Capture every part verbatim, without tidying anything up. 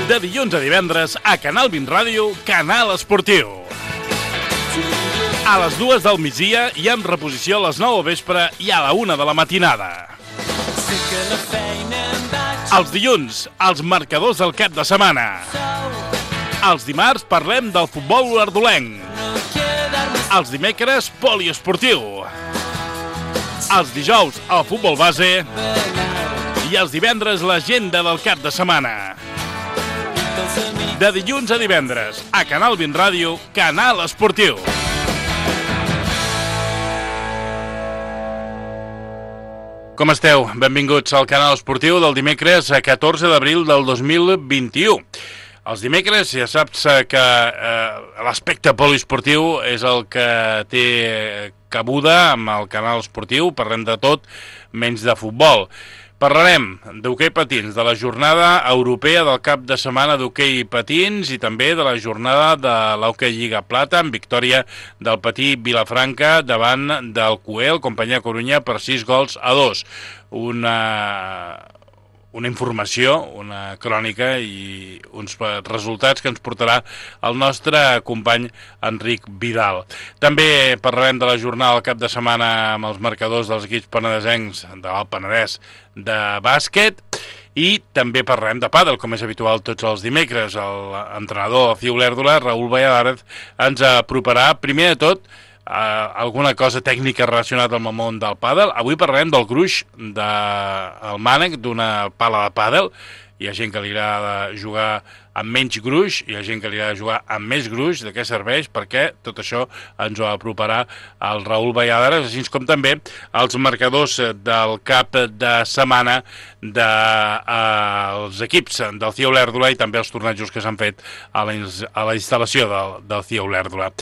De dilluns a divendres, a Canal vint Ràdio, Canal Esportiu. A les dues del migdia i amb reposició a les nou al vespre i a la una de la matinada. Els dilluns, els marcadors del cap de setmana. Els dimarts parlem del futbol olordolenc. Els dimecres, poliesportiu. Els dijous, el futbol base. I els divendres, l'agenda del cap de setmana. De dilluns a divendres, a Canal vint Ràdio, Canal Esportiu. Com esteu? Benvinguts al Canal Esportiu del dimecres catorze d'abril del dos mil vint-i-u. Els dimecres ja saps que eh, l'aspecte poliesportiu és el que té cabuda amb el Canal Esportiu. Parlem de tot menys de futbol. Parlarem d'hoquei patins, de la jornada europea del cap de setmana d'hoquei patins i també de la jornada de l'Hoquei Lliga Plata amb victòria del Patí Vilafranca davant del Cuel, Companyia Corunya, per sis gols a dos. Una... una informació, una crònica i uns resultats que ens portarà el nostre company Enric Vidal. També parlarem de la jornada del cap de setmana amb els marcadors dels equips penedesencs de l'Alt Penedès de bàsquet i també parlarem de pàdel, com és habitual tots els dimecres. L'entrenador del C I U Olèrdola, Raül Valladares, ens aproparà primer de tot Uh, alguna cosa tècnica relacionada amb el món del pàdel. Avui parlarem del gruix del mànec d'una pala de pàdel. Hi ha gent que li agrada jugar amb menys gruix, hi ha gent que li agrada jugar amb més gruix. De què serveix? Perquè tot això ens ho aproparà el Raül Valladares, així com també els marcadors del cap de setmana dels eh, equips del C I U Olèrdola i també els tornejos que s'han fet a la, a la instal·lació del, del C I U Olèrdola.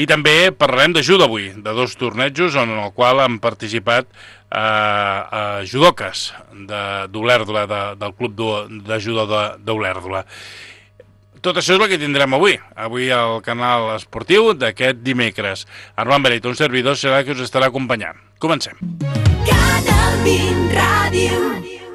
I també parlarem de judo avui, de dos tornejos en el qual han participat a uh, uh, judoques d'Olèrdola, de, del club de, de judo d'Olèrdola. Tot això és el que tindrem avui, avui al Canal Esportiu d'aquest dimecres. Armand Berit, un servidor, serà que us estarà acompanyant. Comencem. Canal vint Ràdio.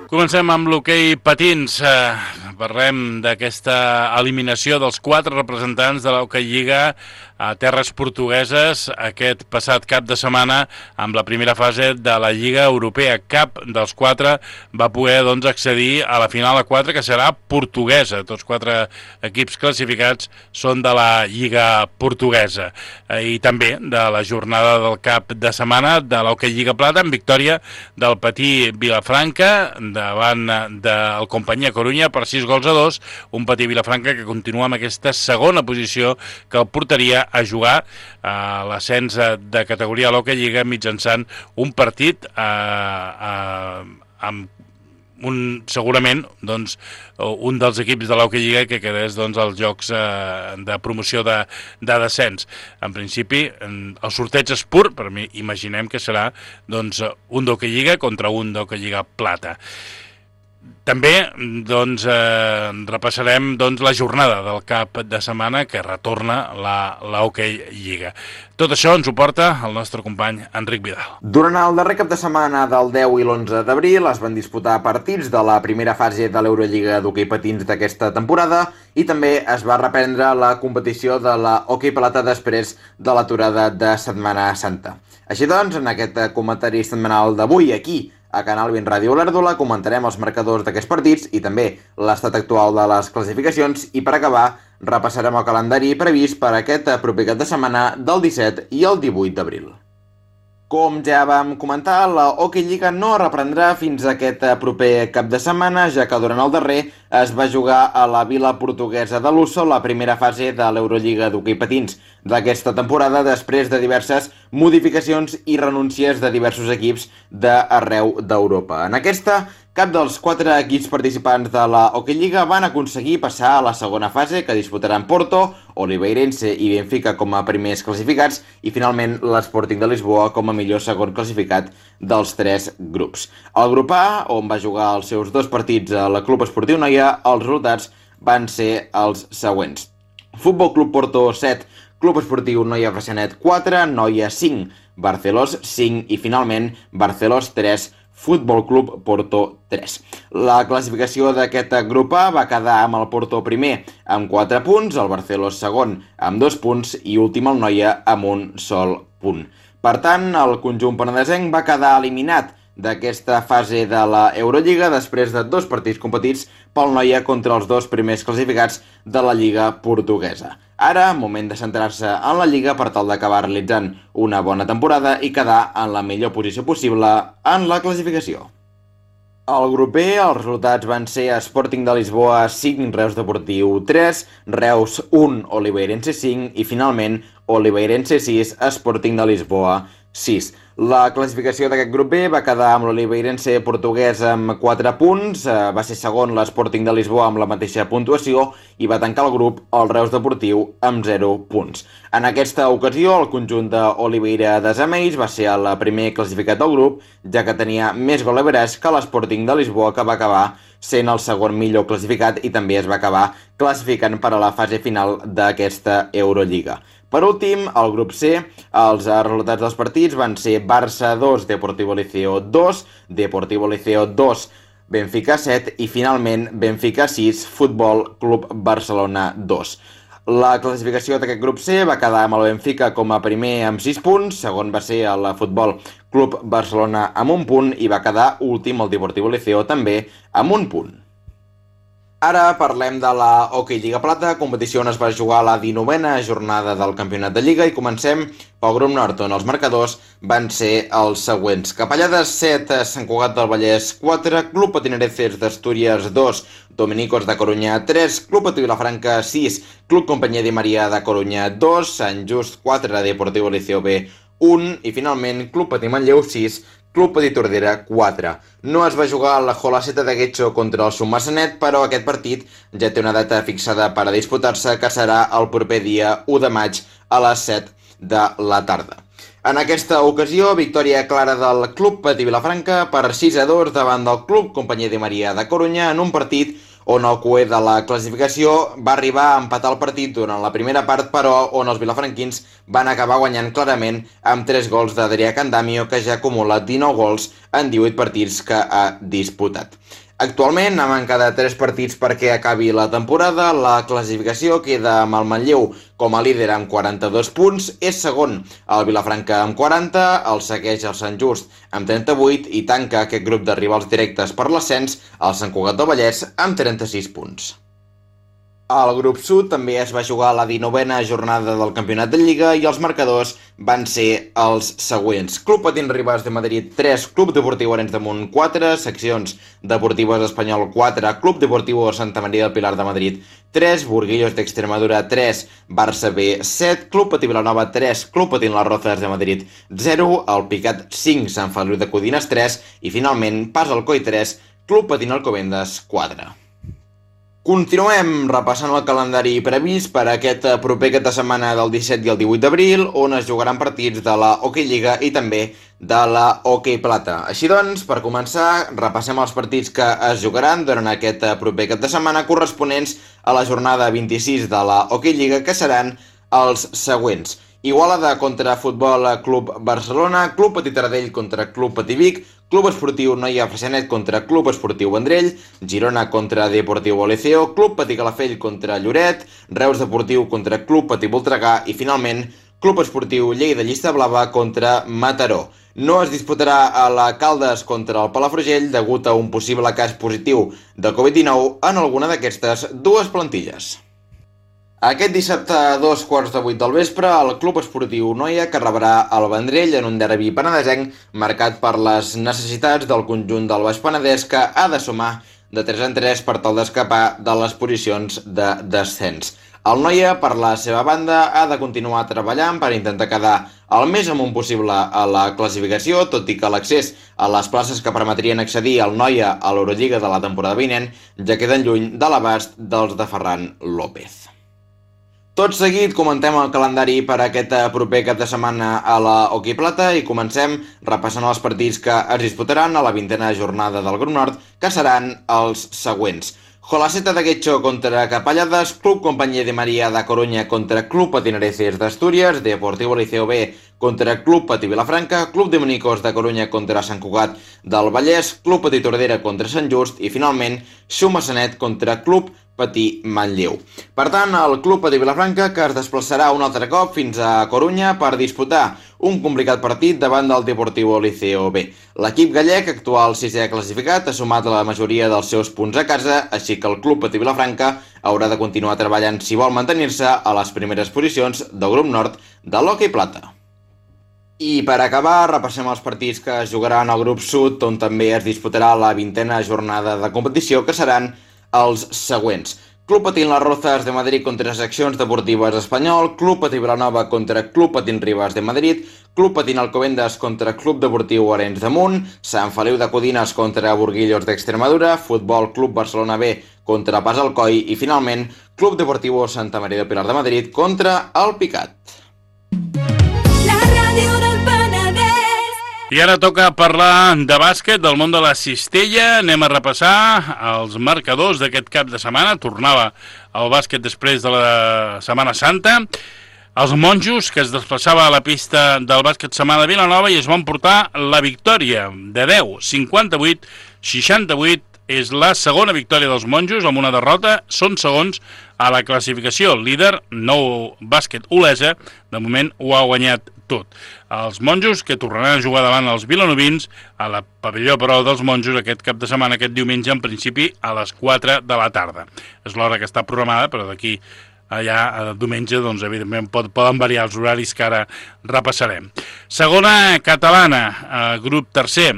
Comencem amb l'hoquei patins. Uh, parlem d'aquesta eliminació dels quatre representants de l'Hoquei Lliga a terres portugueses aquest passat cap de setmana amb la primera fase de la Lliga Europea. Cap dels quatre va poder doncs, accedir a la final a quatre, que serà portuguesa. Tots quatre equips classificats són de la Lliga portuguesa. I també de la jornada del cap de setmana de l'Hoquei Lliga Plata amb victòria del Patí Vilafranca davant del Companyia Corunya per sis gols a dos. Un Patí Vilafranca que continua amb aquesta segona posició que el portaria a jugar a l'ascens de categoria a l'Hoquei Lliga mitjançant un partit eh, eh, amb un, segurament doncs, un dels equips de l'Hoquei Lliga que quedés doncs, als jocs eh, de promoció de, de descens. En principi, el sorteig és pur, per mi imaginem que serà doncs, un d'Hoquei Lliga contra un d'Hoquei Lliga Plata. També doncs, eh, repassarem doncs, la jornada del cap de setmana que retorna l'Hoquei Lliga. Tot això ens ho porta el nostre company Enric Vidal. Durant el darrer cap de setmana del deu i l'onze d'abril es van disputar partits de la primera fase de l'Eurolliga d'hoquei patins d'aquesta temporada i també es va reprendre la competició de la Hoquei Plata després de l'aturada de Setmana Santa. Així doncs, en aquest comentari setmanal d'avui aquí, a Canal vint Ràdio Olèrdola, comentarem els marcadors d'aquests partits i també l'estat actual de les classificacions i per acabar repassarem el calendari previst per aquest proper cap de setmana del disset i el divuit d'abril. Com ja vam comentar, la Hoquei Lliga no reprendrà fins a aquest proper cap de setmana, ja que durant el darrer es va jugar a la vila portuguesa de Lusso la primera fase de l'Eurolliga d'hoquei patins d'aquesta temporada després de diverses modificacions i renúncies de diversos equips d'arreu d'Europa. En aquesta, cap dels quatre equips participants de la Hoquei Lliga van aconseguir passar a la segona fase, que disputaran Porto, Oliveirense i Benfica com a primers classificats i finalment l'Sporting de Lisboa com a millor segon classificat dels tres grups. Al grup A, on va jugar els seus dos partits a la Club Esportiu Noia, els resultats van ser els següents. Futbol Club Porto set, Club Esportiu Noia Freixenet quatre, Noia cinc, Barcelos cinc i finalment Barcelos tres, Futbol Club Porto tres. La classificació d'aquest grup A va quedar amb el Porto primer amb quatre punts, el Barceló segon amb dos punts i últim el Noia amb un sol punt. Per tant, el conjunt penedesenc va quedar eliminat d'aquesta fase de la Eurolliga després de dos partits competits pel Noia contra els dos primers classificats de la Lliga portuguesa. Ara, moment de centrar-se en la Lliga per tal d'acabar realitzant una bona temporada i quedar en la millor posició possible en la classificació. Al grup B, els resultats van ser Sporting de Lisboa cinc, Reus Deportiu tres, Reus un, Oliveirense cinc i finalment Oliveirense sis, Sporting de Lisboa sis. La classificació d'aquest grup B va quedar amb l'Oliveirense portuguès amb quatre punts, va ser segon l'Sporting de Lisboa amb la mateixa puntuació i va tancar el grup el Reus Deportiu amb zero punts. En aquesta ocasió, el conjunt d'Oliveira de Zameis va ser el primer classificat del grup, ja que tenia més gol average que l'Sporting de Lisboa, que va acabar sent el segon millor classificat i també es va acabar classificant per a la fase final d'aquesta Eurolliga. Per últim, al grup C, els resultats dels partits van ser Barça dos, Deportivo Liceo dos, Deportivo Liceo dos, Benfica set i finalment Benfica sis, Futbol Club Barcelona dos. La classificació d'aquest grup C va quedar amb el Benfica com a primer amb sis punts, segon va ser el Futbol Club Barcelona amb un punt i va quedar últim el Deportivo Liceo també amb un punt. Ara parlem de la Hockey Lliga Plata, competició on es va jugar la dinovena jornada del campionat de Lliga i comencem pel grup nord, on els marcadors van ser els següents. Capellades set, Sant Cugat del Vallès quatre, Club Patinereces d'Astúries dos, Dominicos de Coruña tres, Club Patí Vilafranca sis, Club Companyia de Maria de Coruña dos, Sant Just quatre, Deportivo Liceo B un i finalment Club Patí Manlleu sis, Club Patí Tordera quatre. No es va jugar la Jolaceta de Guecho contra el Sumassanet, però aquest partit ja té una data fixada per a disputar-se, que serà el proper dia u de maig a les set de la tarda. En aquesta ocasió, victòria clara del Club Patí Vilafranca per sis a dos davant del Club Companyia de Maria de Coruña en un partit on el cuer de la classificació va arribar a empatar el partit durant la primera part, però on els vilafranquins van acabar guanyant clarament amb tres gols d'Adrià Candamio, que ja acumula dinou gols en divuit partits que ha disputat. Actualment, a manca de tres partits perquè acabi la temporada, la classificació queda amb el Manlleu com a líder amb quaranta-dos punts, és segon el Vilafranca amb quaranta, el segueix el Sant Just amb trenta-vuit i tanca aquest grup de rivals directes per l'ascens el Sant Cugat del Vallès amb trenta-sis punts. Al grup sud també es va jugar la dinovena jornada del campionat de Lliga i els marcadors van ser els següents. Club Patins Ribas de Madrid tres, Club Deportiu Arenys de Munt quatre, Seccions Deportives Espanyol quatre, Club Deportiu Santa Maria del Pilar de Madrid tres, Burguillos d'Extremadura tres, Barça B set, Club Patí Vilanova tres, Club Patins Las Rozas de Madrid zero, el Picat cinc, Sant Feliu de Codines tres i finalment Pas Alcoi tres, Club Patins Alcobendas quatre. Continuem repassant el calendari previst per aquest proper cap de setmana del disset i el divuit d'abril, on es jugaran partits de la Hockey Lliga i també de la Hockey Plata. Així doncs, per començar, repassem els partits que es jugaran durant aquest proper cap de setmana corresponents a la jornada vint-i-sis de la Hockey Lliga, que seran els següents. Igualada contra Futbol Club Barcelona, Club Patí Taradell contra Club Patí Vic, Club Esportiu Noia Freixenet contra Club Esportiu Vendrell, Girona contra Deportivo Liceo, Club Patí Calafell contra Lloret, Reus Deportiu contra Club Patí Voltregà i finalment Club Esportiu Lleida Llista Blava contra Mataró. No es disputarà a la Caldes contra el Palafrugell degut a un possible cas positiu de covid dinou en alguna d'aquestes dues plantilles. Aquest dissabte a dos quarts de vuit del vespre, el Club Esportiu Noia que rebrà el Vendrell en un derbi penedesenc marcat per les necessitats del conjunt del Baix Penedès, que ha de sumar de tres en tres per tal d'escapar de les posicions de descens. El Noia, per la seva banda, ha de continuar treballant per intentar quedar el més amunt possible a la classificació, tot i que l'accés a les places que permetrien accedir al Noia a l'Eurolliga de la temporada vinent ja queden lluny de l'abast dels de Ferran López. Tot seguit comentem el calendari per aquest proper cap de setmana a la Hockey Plata i comencem repassant els partits que es disputaran a la vintena jornada del grup nord, que seran els següents. Jolaceta de Guecho contra Capellades, Club Compañía de María da Coruña contra Club Patinareces d'Astúries, Deportivo Liceo B contra Club Patí Vilafranca, Club de Monicos de Coruña contra Sant Cugat del Vallès, Club Patí Tordera contra Sant Just i, finalment, Xuma Sanet contra Club Patí Manlleu. Per tant, el Club Patí Vilafranca, que es desplaçarà un altre cop fins a Corunya per disputar un complicat partit davant del Deportivo Liceo B. L'equip gallec, actual sisè classificat, ha sumat la majoria dels seus punts a casa, així que el Club Patí Vilafranca haurà de continuar treballant si vol mantenir-se a les primeres posicions del grup nord de l'hoquei plata. I per acabar, repassem els partits que es jugaran al grup sud, on també es disputarà la vintena jornada de competició, que seran els següents. Club Patín Las Rozas de Madrid contra Seccions Deportives Espanyol, Club Patí Vilanova contra Club Patín Ribas de Madrid, Club Patín Alcobendas contra Club Deportiu Arenys de Munt, Sant Feliu de Codines contra Burguillos d'Extremadura, Futbol Club Barcelona B contra Pas Alcoi i, finalment, Club Deportivo Santa Maria de Pilar de Madrid contra el Picat. I ara toca parlar de bàsquet, del món de la cistella. Anem a repassar els marcadors d'aquest cap de setmana. Tornava el bàsquet després de la Setmana Santa. Els monjos, que es desplaçava a la pista del bàsquet Samà de Vilanova i es van portar la victòria de deu, cinquanta-vuit, seixanta-vuit. És la segona victòria dels monjos amb una derrota. Són segons a la classificació. Líder, Nou Bàsquet Olesa, de moment ho ha guanyat tot. Els monjos, que tornaran a jugar davant els vilanovins a la pavelló, però, dels monjos aquest cap de setmana, aquest diumenge, en principi a les quatre de la tarda. És l'hora que està programada, però d'aquí allà a diumenge, doncs, evidentment, pot, poden variar els horaris que ara repassarem. Segona catalana, eh, grup tercer,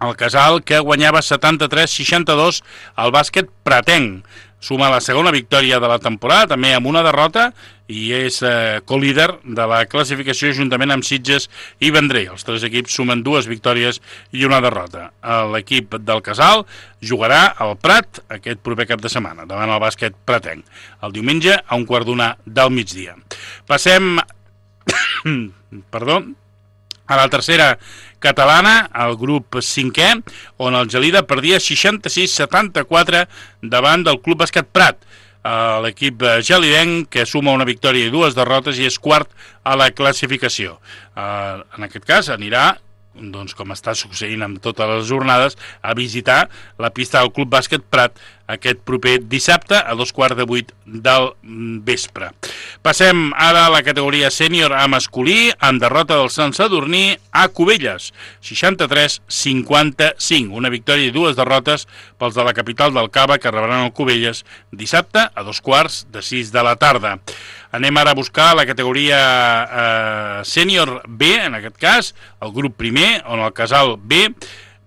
el Casal, que guanyava setanta-tres seixanta-dos al bàsquet Pratenc. Suma la segona victòria de la temporada, també amb una derrota, i és eh, co-líder de la classificació juntament amb Sitges i Vendrell. Els tres equips sumen dues victòries i una derrota. L'equip del Casal jugarà al Prat aquest proper cap de setmana, davant el bàsquet Pratenc, el diumenge a un quart d'una del migdia. Passem perdó, a la tercera catalana, el grup cinquè, on el Gelida perdia seixanta-sis setanta-quatre davant del Club Bàsquet Prat. L'equip gelidenc, que suma una victòria i dues derrotes i és quart a la classificació. En aquest cas anirà, doncs, com està succeint amb totes les jornades, a visitar la pista del Club Bàsquet Prat aquest proper dissabte a dos quarts de vuit del vespre. Passem ara a la categoria sènior a masculí, amb derrota del Sant Sadurní a Cubelles, seixanta-tres cinquanta-cinc. Una victòria i dues derrotes pels de la capital del Cava, que rebran el Cubelles dissabte a dos quarts de sis de la tarda. Anem ara a buscar la categoria eh, sènior B, en aquest cas, el grup primer, on el Casal B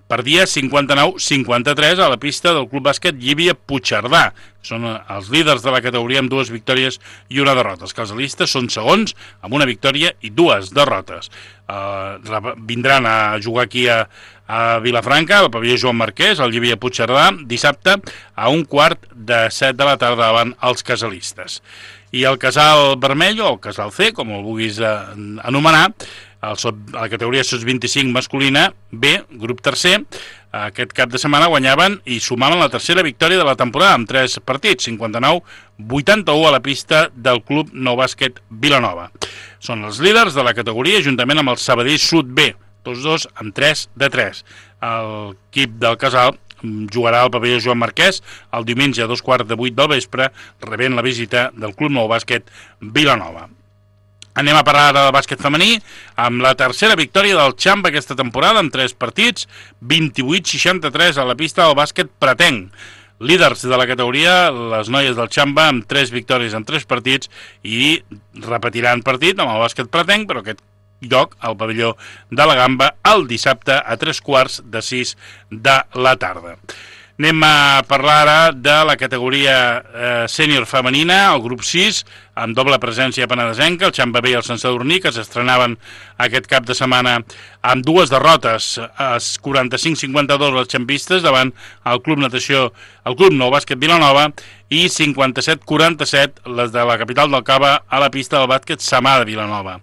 perdia cinquanta-nou cinquanta-tres a la pista del Club Bàsquet Llívia Puigcerdà. Són els líders de la categoria amb dues victòries i una derrota. Els casalistes són segons amb una victòria i dues derrotes. Uh, vindran a jugar aquí a, a Vilafranca, al pavelló Joan Marquès, al Llívia Puigcerdà, dissabte a un quart de set de la tarda davant els casalistes. I el Casal Vermell, o el Casal C, com el vulguis eh, anomenar, el sot, a la categoria S O S vint-i-cinc masculina B, grup tercer, aquest cap de setmana guanyaven i sumaven la tercera victòria de la temporada amb tres partits, cinquanta-nou vuitanta-u a la pista del Club Nou Bàsquet Vilanova. Són els líders de la categoria juntament amb el Sabadell Sud B, tots dos amb tres de tres. L'equip del Casal jugarà al pavelló Joan Marquès el diumenge a dos quarts de vuit del vespre, rebent la visita del Club Nou Bàsquet Vilanova. Anem a parlar ara del bàsquet femení, amb la tercera victòria del Xamba aquesta temporada, amb tres partits, vint-i-vuit seixanta-tres a la pista del bàsquet Pratenc. Líders de la categoria, les noies del Xamba, amb tres victòries en tres partits, i repetiran partit amb el bàsquet Pratenc, però aquest lloc al pavelló de la Gamba el dissabte a tres quarts de sis de la tarda. Anem a parlar ara de la categoria eh, sènior femenina, el grup sis, amb doble presència penedesenca, el Xamba B i el Sant Sadurní, que s'estrenaven aquest cap de setmana amb dues derrotes, quaranta-cinc cinquanta-dos les xampistes davant el Club Natació, el Club Nou Bàsquet Vilanova, i cinquanta-set quaranta-set les de la capital del Cava a la pista del bàsquet Samà de Vilanova.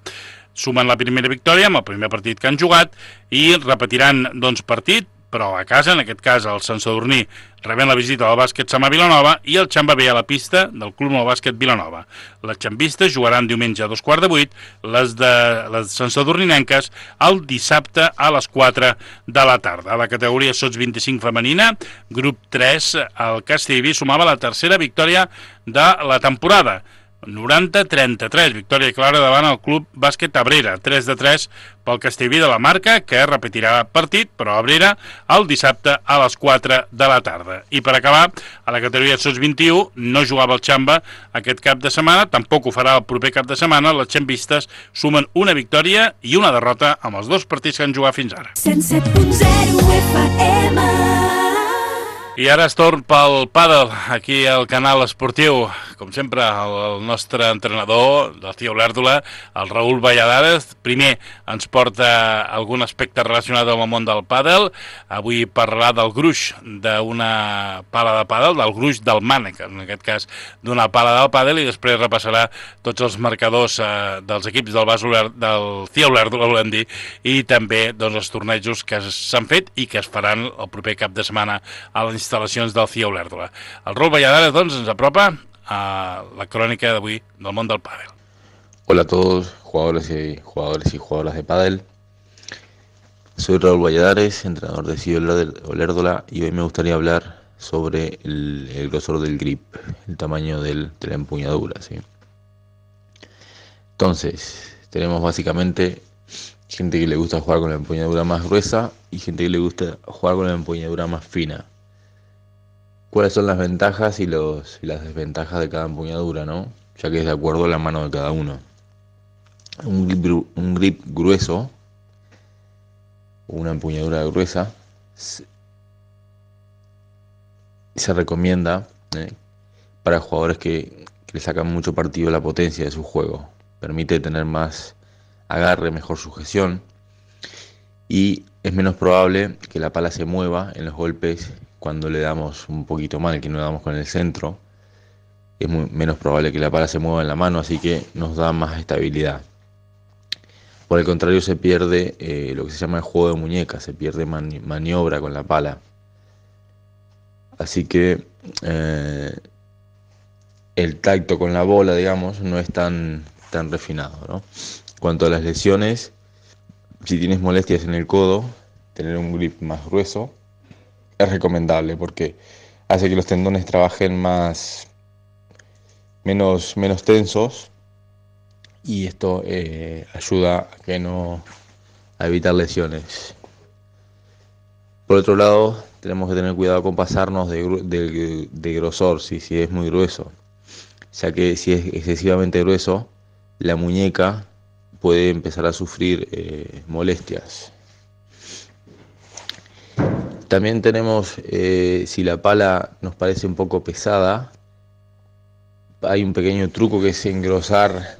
Sumen la primera victòria amb el primer partit que han jugat i repetiran doncs, partit però a casa, en aquest cas el Sant Sadurní rebent la visita del bàsquet Samà Vilanova i el Xamba B a la pista del Club Nou Bàsquet Vilanova. Les xambistes jugaran diumenge a dos quarts de vuit, les de les Sant Sadurninenques el dissabte a les quatre de la tarda. A la categoria Sots vint-i-cinc femenina, grup tres, el Castellví sumava la tercera victòria de la temporada, noranta a trenta-tres, victòria clara davant el Club Bàsquet Abrera, tres de tres pel Castellví de la Marca, que repetirà partit, però Abrera el dissabte a les quatre de la tarda. I per acabar, a la categoria Sots vint-i-u no jugava el Xamba aquest cap de setmana, tampoc ho farà el proper cap de setmana. Les xambistes sumen una victòria i una derrota amb els dos partits que han jugat fins ara. cent set punt zero F M. I ara es torn pel pàdel, aquí al canal esportiu. Com sempre, el, el nostre entrenador del Cia Olèrdola, el Raül Valladares, primer ens porta algun aspecte relacionat amb el món del pàdel. Avui parlarà del gruix d'una pala de pàdel, del gruix del mànec, en aquest cas d'una pala del pàdel, i després repassarà tots els marcadors eh, dels equips del, Bas Oler, del Cia Olèrdola, volem dir, i també doncs, els tornejos que s'han fet i que es faran el proper cap de setmana a les instal·lacions del Cia Olèrdola. El Raül Valladares doncs, ens apropa a la crónica de hoy del mundo del pádel. Hola a todos, jugadores y jugadores y jugadoras de pádel. Soy Raúl Valladares, entrenador de Cia Olèrdola, y hoy me gustaría hablar sobre el, el grosor del grip, el tamaño del, de la empuñadura, ¿sí? Entonces, tenemos básicamente gente que le gusta jugar con la empuñadura más gruesa y gente que le gusta jugar con la empuñadura más fina. ¿Cuáles son las ventajas y, los, y las desventajas de cada empuñadura, ¿no? Ya que es de acuerdo a la mano de cada uno. Un grip, un grip grueso, una empuñadura gruesa, se, se recomienda ¿eh? para jugadores que, que le sacan mucho partido a la potencia de su juego. Permite tener más agarre, mejor sujeción, y es menos probable que la pala se mueva en los golpes cuando le damos un poquito mal, que no le damos con el centro. Es muy, menos probable que la pala se mueva en la mano, así que nos da más estabilidad. Por el contrario, se pierde eh, lo que se llama el juego de muñeca, se pierde mani maniobra con la pala. Así que eh, el tacto con la bola, digamos, no es tan, tan refinado, ¿no? Cuanto a las lesiones, si tienes molestias en el codo, tener un grip más grueso es recomendable porque hace que los tendones trabajen más menos, menos tensos, y esto eh, ayuda a que no a evitar lesiones. Por otro lado, tenemos que tener cuidado con pasarnos de, de, de grosor, si, si es muy grueso, ya que si es excesivamente grueso, la muñeca puede empezar a sufrir eh, molestias. También tenemos, eh, si la pala nos parece un poco pesada, hay un pequeño truco que es engrosar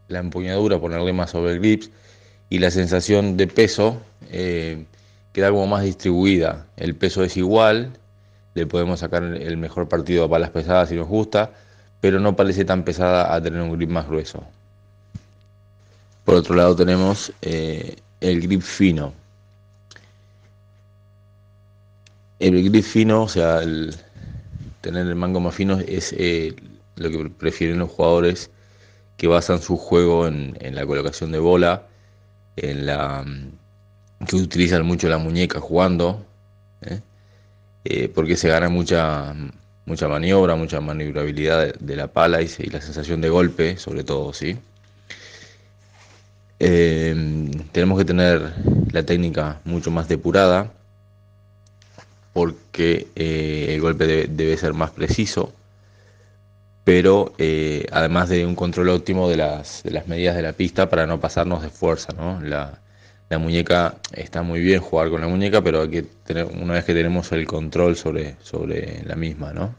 la empuñadura, ponerle más sobre el grip, y la sensación de peso eh, queda como más distribuida. El peso es igual, le podemos sacar el mejor partido a palas pesadas si nos gusta, pero no parece tan pesada a tener un grip más grueso. Por otro lado tenemos eh, el grip fino. El grip fino, o sea, el tener el mango más fino, es eh, lo que prefieren los jugadores que basan su juego en, en la colocación de bola, en la que utilizan mucho la muñeca jugando, ¿eh? Eh, porque se gana mucha mucha maniobra, mucha maniobrabilidad de, de la pala y, y la sensación de golpe, sobre todo, ¿sí? Eh, tenemos que tener la técnica mucho más depurada, porque eh, el golpe debe, debe ser más preciso, pero eh, además de un control óptimo de las, de las medidas de la pista para no pasarnos de fuerza, ¿no? La, la muñeca, está muy bien jugar con la muñeca, pero hay que tener, una vez que tenemos el control sobre, sobre la misma, ¿no?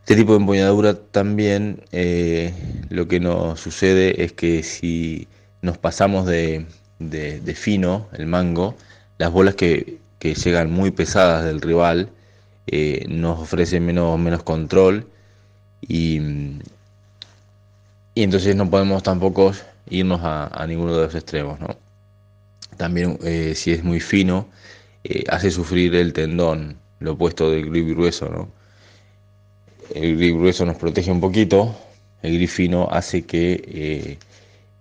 Este tipo de empuñadura también eh, lo que nos sucede es que si nos pasamos de, de, de fino el mango, las bolas que, que llegan muy pesadas del rival eh, nos ofrecen menos, menos control, y, y entonces no podemos tampoco irnos a, a ninguno de los extremos, ¿no? También eh, si es muy fino, eh, hace sufrir el tendón, lo opuesto del grip grueso, ¿no? El grip grueso nos protege un poquito, el grip fino hace que eh,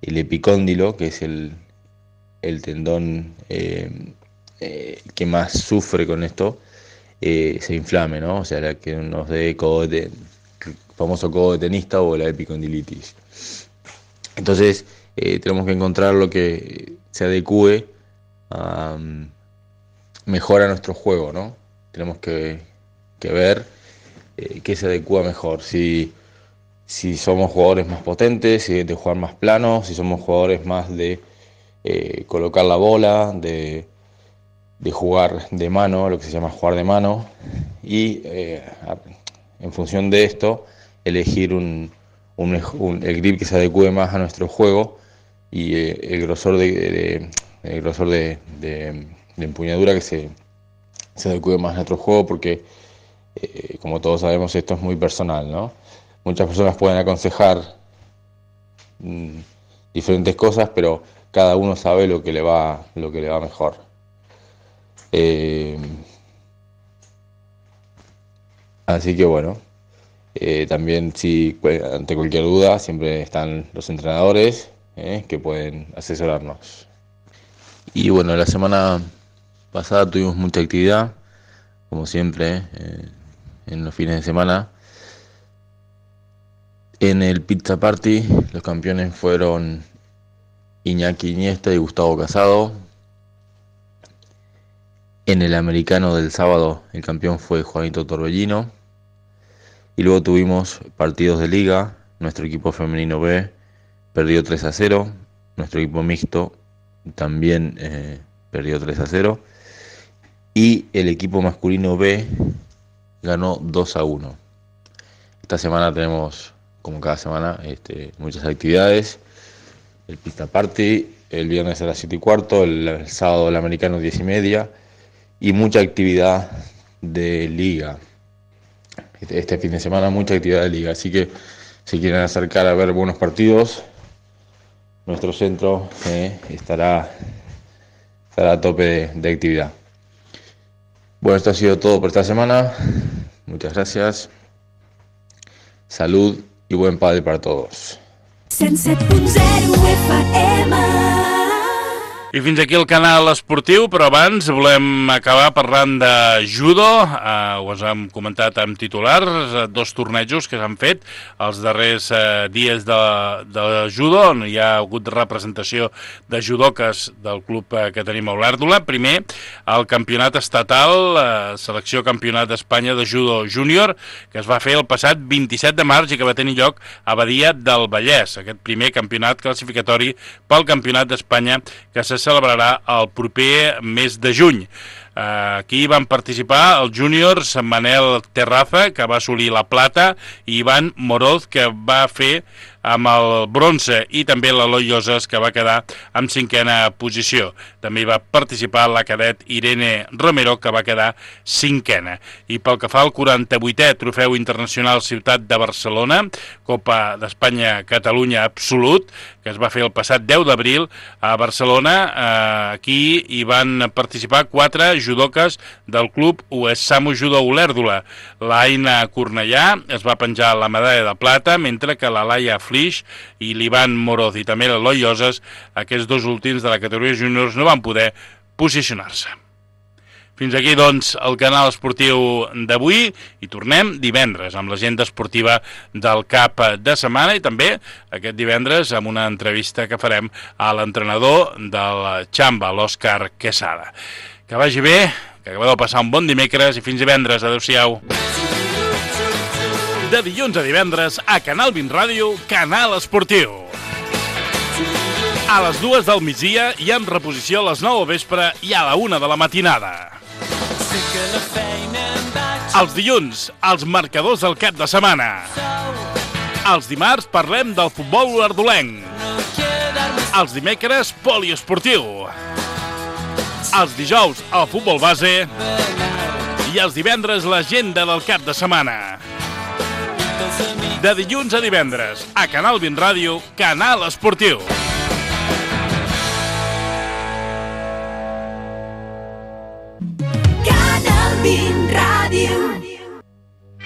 el epicóndilo, que es el, el tendón eh, eh, que más sufre con esto, eh, se inflame, ¿no? O sea, la que nos dé codo de, el famoso codo de tenista o la epicondilitis. Entonces, eh, tenemos que encontrar lo que se adecue a, um, mejor a nuestro juego, ¿no? Tenemos que, que ver eh, qué se adecua mejor. Si, si somos jugadores más potentes, si de jugar más plano, si somos jugadores más de eh, colocar la bola, de, de jugar de mano, lo que se llama jugar de mano, y eh, en función de esto, elegir un, un, un, el grip que se adecue más a nuestro juego y eh, el grosor de, de, el grosor de, de, de empuñadura que se, se adecue más a nuestro juego, porque eh, como todos sabemos, esto es muy personal, ¿no? Muchas personas pueden aconsejar mmm, diferentes cosas, pero cada uno sabe lo que le va, lo que le va mejor. Eh, así que bueno, eh, también si ante cualquier duda siempre están los entrenadores eh, que pueden asesorarnos. Y bueno, la semana pasada tuvimos mucha actividad, como siempre, eh, en los fines de semana. En el Pizza Party los campeones fueron Iñaki Iniesta y Gustavo Casado. En el americano del sábado el campeón fue Juanito Torbellino. Y luego tuvimos partidos de liga. Nuestro equipo femenino B perdió tres a cero. Nuestro equipo mixto también eh, perdió tres a cero. Y el equipo masculino B ganó dos a uno. Esta semana tenemos, como cada semana, este, muchas actividades. El Pista Party, el viernes a las siete y cuarto, el, el sábado el americano diez y media. Y mucha actividad de liga. Este, este fin de semana mucha actividad de liga. Así que si quieren acercar a ver buenos partidos, nuestro centro eh, estará, estará a tope de, de actividad. Bueno, esto ha sido todo por esta semana. Muchas gracias. Salud i buen padre para todos. cent set punt zero F M. I fins aquí el canal esportiu, però abans volem acabar parlant de judo. Eh, ho hem comentat amb titulars, dos tornejos que s'han fet els darrers eh, dies de, de judo, on hi ha hagut representació de judoques del club eh, que tenim a Olèrdola. Primer, el campionat estatal, eh, selecció campionat d'Espanya de judo júnior, que es va fer el passat vint-i-set de març i que va tenir lloc a Badia del Vallès. Aquest primer campionat classificatori pel campionat d'Espanya que se celebrarà el proper mes de juny. Aquí van participar els júniors Manel Terraza, que va assolir la plata, i Ivan Moroz, que va fer amb el bronze, i també l'Eloi Lloses, que va quedar en cinquena posició. També hi va participar la cadet Irene Romero, que va quedar cinquena. I pel que fa al quaranta-vuitè Trofeu Internacional Ciutat de Barcelona, Copa d'Espanya Catalunya Absolut, que es va fer el passat deu d'abril a Barcelona. Aquí hi van participar quatre judoques del club Uesamu Judo Olèrdola. L'Aina Cornellà es va penjar la medalla de plata, mentre que la Laia Flix i l'Ivan Moroz i també l'Eloi Lloses, aquests dos últims de la categoria júniors, no van poder posicionar-se. Fins aquí, doncs, el canal esportiu d'avui, i tornem divendres amb l'agenda esportiva del cap de setmana, i també aquest divendres amb una entrevista que farem a l'entrenador del Xamba, l'Òscar Quesada. Que vagi bé, que acabeu de passar un bon dimecres i fins divendres. Adéu-siau. De dilluns a divendres a Canal vint Ràdio, Canal Esportiu. A les dues del migdia i en reposició a les nou del vespre i a la una de la matinada. Els dilluns, els marcadors del cap de setmana. Els dimarts parlem del futbol olèrdolenc. Els dimecres, poliesportiu. Els dijous, el futbol base. I els divendres, l'agenda del cap de setmana. De dilluns a divendres, a Canal vint Ràdio, Canal Esportiu.